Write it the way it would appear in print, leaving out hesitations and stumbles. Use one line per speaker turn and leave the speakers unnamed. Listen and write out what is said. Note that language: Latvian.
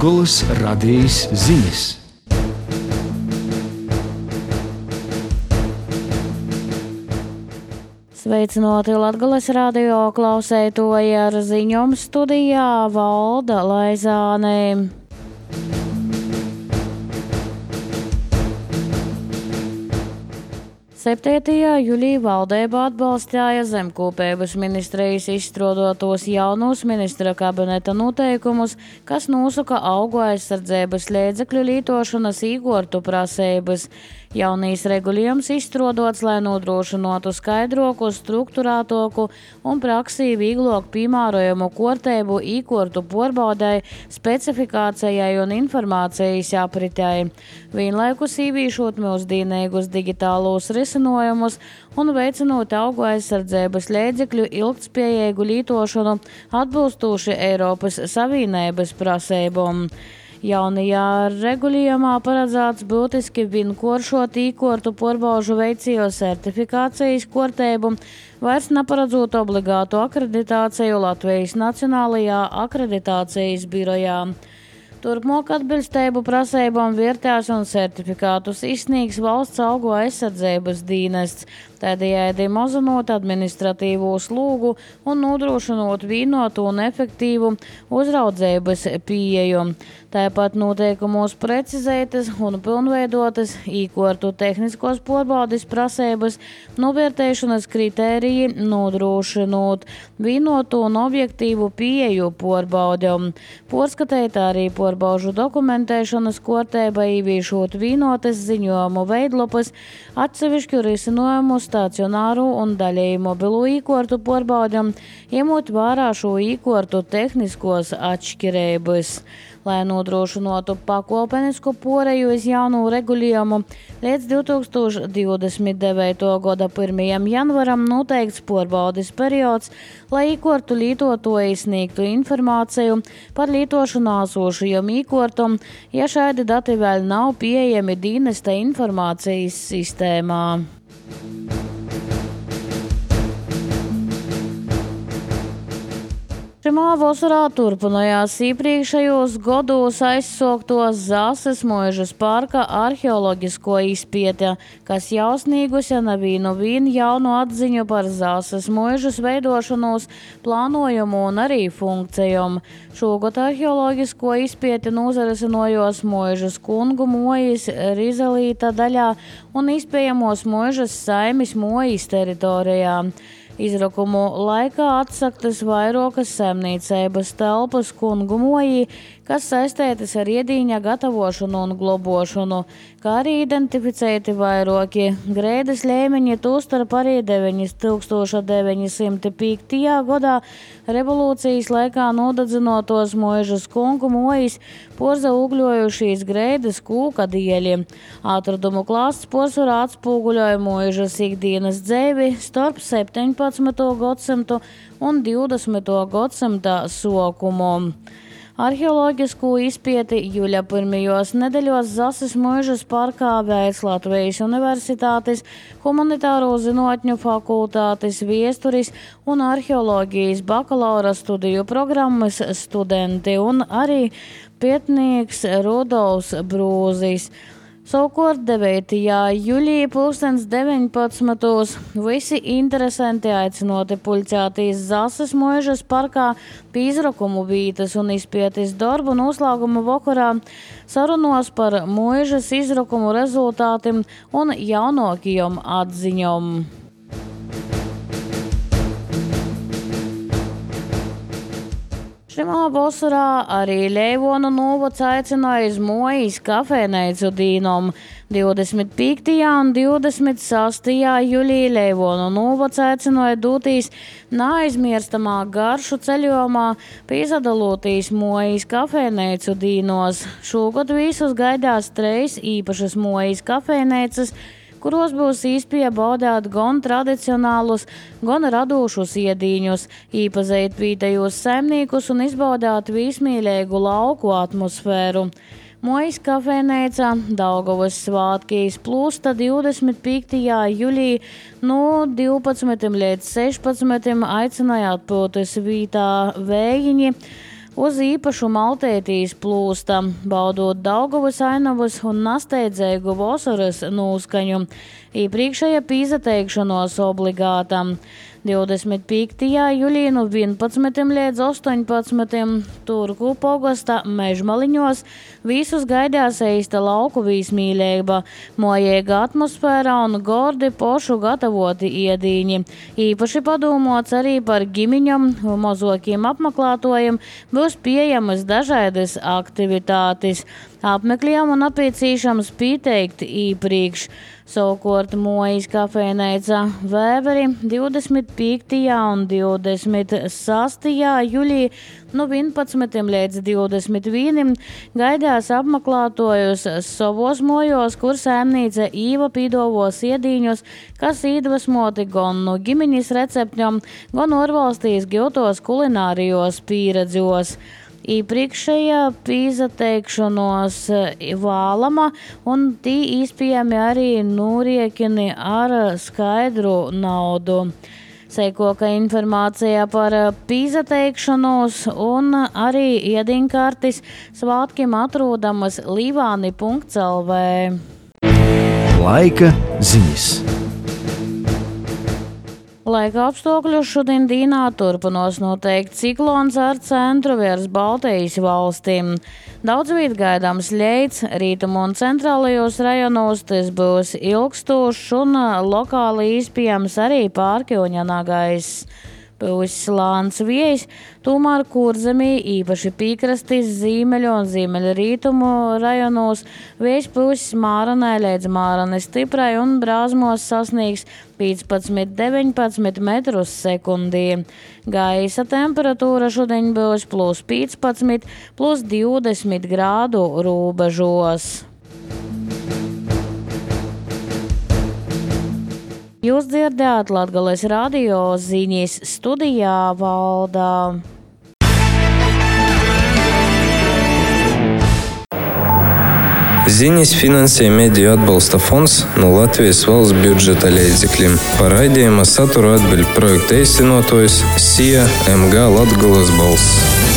Latgolas radijas ziņas.
Sveicināti Latgolas radio klausētoji, ar ziņām studijā Valda Laizāne. 7. jūlijā valdība atbalstīja zemkopības ministrijas izstrādātos jaunus ministra kabineta noteikumus, kas nosaka augu aizsardzības līdzekļu lietošanas īkortu prasības. Jaunīs regulējums izstrādāts, lai nodrošinātu skaidroku, strukturētāku un praksī vieglāk piemērojamu kārtību īkortu pārbaudei, specifikācijai un informācijas apritei. Vienlaikus ieviešot mūsdienīgus digitālos risinājumus un veicinot augu aizsardzības līdzekļu ilgtspējīgu lietošanu atbilstoši Eiropas Savienības prasībām. Jaunajā regulējumā paredzēts būtiski vienkāršot īkortu pārbaužu veicēju certifikācijas kārtību, vairs neparedzot obligātu akreditāciju Latvijas Nacionālajā akreditācijas birojā. Turpmāk atbilstību prasībām vērtēs un certifikātus izsniegs valsts augu aizsardzības dienests, tādējādi mazinot administratīvo slogu un nodrošinot vienotu un efektīvu uzraudzības pieeju. Tāpat noteikumos precizētas un pilnveidotas īkortu tehniskos pārbaudes prasības, novērtēšanas kritēriji, nodrošinot vienotu un objektīvu pieeju pārbaudēm. Pārskatīt arī pārbaužu dokumentēšanas kārtība, ieviešot vienotas ziņojumu veidlapas, atsevišķu risinājumu stacionāru un daļēju mobilo īkortu pārbaudēm, ņemot vērā šo īkortu tehniskos atšķirības. Lai nodrošinātu pakāpenisku pāreju uz jaunu regulējumu, līdz 2029. gada 1. janvaram noteikts pārbaudes periods, lai īkortu lietotāji sniegtu informāciju par lietošanā esošajiem īkortam, ja šādi dati vēl nav pieejami dienesta informācijas sistēmā. Šimā vasarā turpinājās iepriekšējos gados aizsāktos Zāses Muižas parka arheoloģisko izpēte, kas jau sniegusi nevienu jaunu atziņu par Zāses Muižas veidošanos, plānojumu un arī funkcijām. Šogad arheoloģisko izpēti nozarisinājos Muižas kungu mojas Rizelīta daļā un iespējamos Muižas saimes mojas teritorijā. Izrakumu laikā atsaktas vairākas saimniecības telpas kungu mojī, kas saistītas ar iedīņa gatavošanu un globošanu, kā arī identificēti vairāki grēdas līmeņi, tostarp arī 1905. gadā revolūcijas laikā nodedzinotos Muižas kungu mojas porza ugļojušīs grēdas kūka dieļi. Atradumu klāsts porcelāna atspūguļoja Muižas ikdienas dzīvi starp 17. gadsimtu un 20. gadsimta sokumu. Arheoloģisko izpēti jūļa pirmajos nedēļos Zāses Muižas parkā veids Latvijas Universitātes humanitāro zinātņu fakultātes viesturis un arheoloģijas bakalaura studiju programmas studenti un arī pētnieks Rudolfs Brūzis. Savukārt 9. jūlijā 19. visi interesanti aicināti pulcēties Zāses Muižas parkā pie izrakumu vītas un izpētes darbu noslēguma vakarā sarunos par Muižas izrakumu rezultātiem un jaunākajām atziņām. Šimā vasarā arī Leivonu novads aicināja uz mojas kafejnīcu dīnom. 25. un 26. jūlijā Leivonu novads aicināja doties neaizmirstamā garšu ceļojumā, piedalīties mojas kafejnīcu dīnos. Šogad visus gaidās 3 īpašas mojas kafejnīcas, kuros būs iespēja baudīt gan tradicionālus, gan radošus iedīņus, iepazīt vietējos saimniekus un izbaudīt vismīļīgu lauku atmosfēru. Mojas kafejnīca Daugavas svētkīs plūsta 25. jūlijā no 12 līdz 16 aicināja atpūtas vietā vējiņi, uz īpašu Maltētīs plūsta, baudot Daugavas ainavas un nasteidzēgu vasaras nūskaņu. Iepriekšēja pīzateikšanos obligāta. 25. jūlijā no 11 līdz 18. Turku pogasta Mežmaliņos visus gaidās eista lauku vīsmīleiba, mojēga atmosfēra un gordi pošu gatavoti iedīņi. Īpaši padomāts arī par ģimiņam, mozokiem apmeklētojiem būs pieejamas dažādas aktivitātes. Apmeklējam un apiecīšams pieteikt īpriekš. Savukārt Mojas kafejneica Vēveri 25. un 26. jūlijā no 11 līdz 21 gaidās apmeklētojus savos mojos, kur saimnīca Īva pīdovos iedīņus, kas iedvesmoti gan no ģimeņas receptņom, gan ārvalstīs gūtos kulinārijos pieredzos. Iepriekšējā pīzateikšanos vālama un tī īspējami arī nūriekini ar skaidru naudu. Seikoka informācija par pīzateikšanos un arī iedinkartis svātkiem atrodamas līvāni.lv.
Laika ziņas.
Laika apstākļus šodien dīnā turpinās noteikti ciklons ar centru virs Baltijas valstīm. Daudz viet gaidāms leids, rītumu un centrālajos rajonos tas būs ilgstošs un lokāli izpējams arī pārkļūņanā gaiss. Būs slāns viejs, tomēr Kurzemī īpaši piekrastis Zīmeļu un Ziemeļrītumu rajonos vējs būs māranai līdz māranai stiprai un brāzmos sasniegs 15–19 metrus sekundī. Gaisa temperatūra šodien būs +15, +20 grādu robežos. Jūs dzirdējāt Latgales radio ziņas, studijā Valdā.
Ziņas finansē Mediju atbalsta fonds no Latvijas valsts budžeta līdzekļiem. Par raidījuma saturu atbild projekta īstenotājs SIA MG Latgales balss.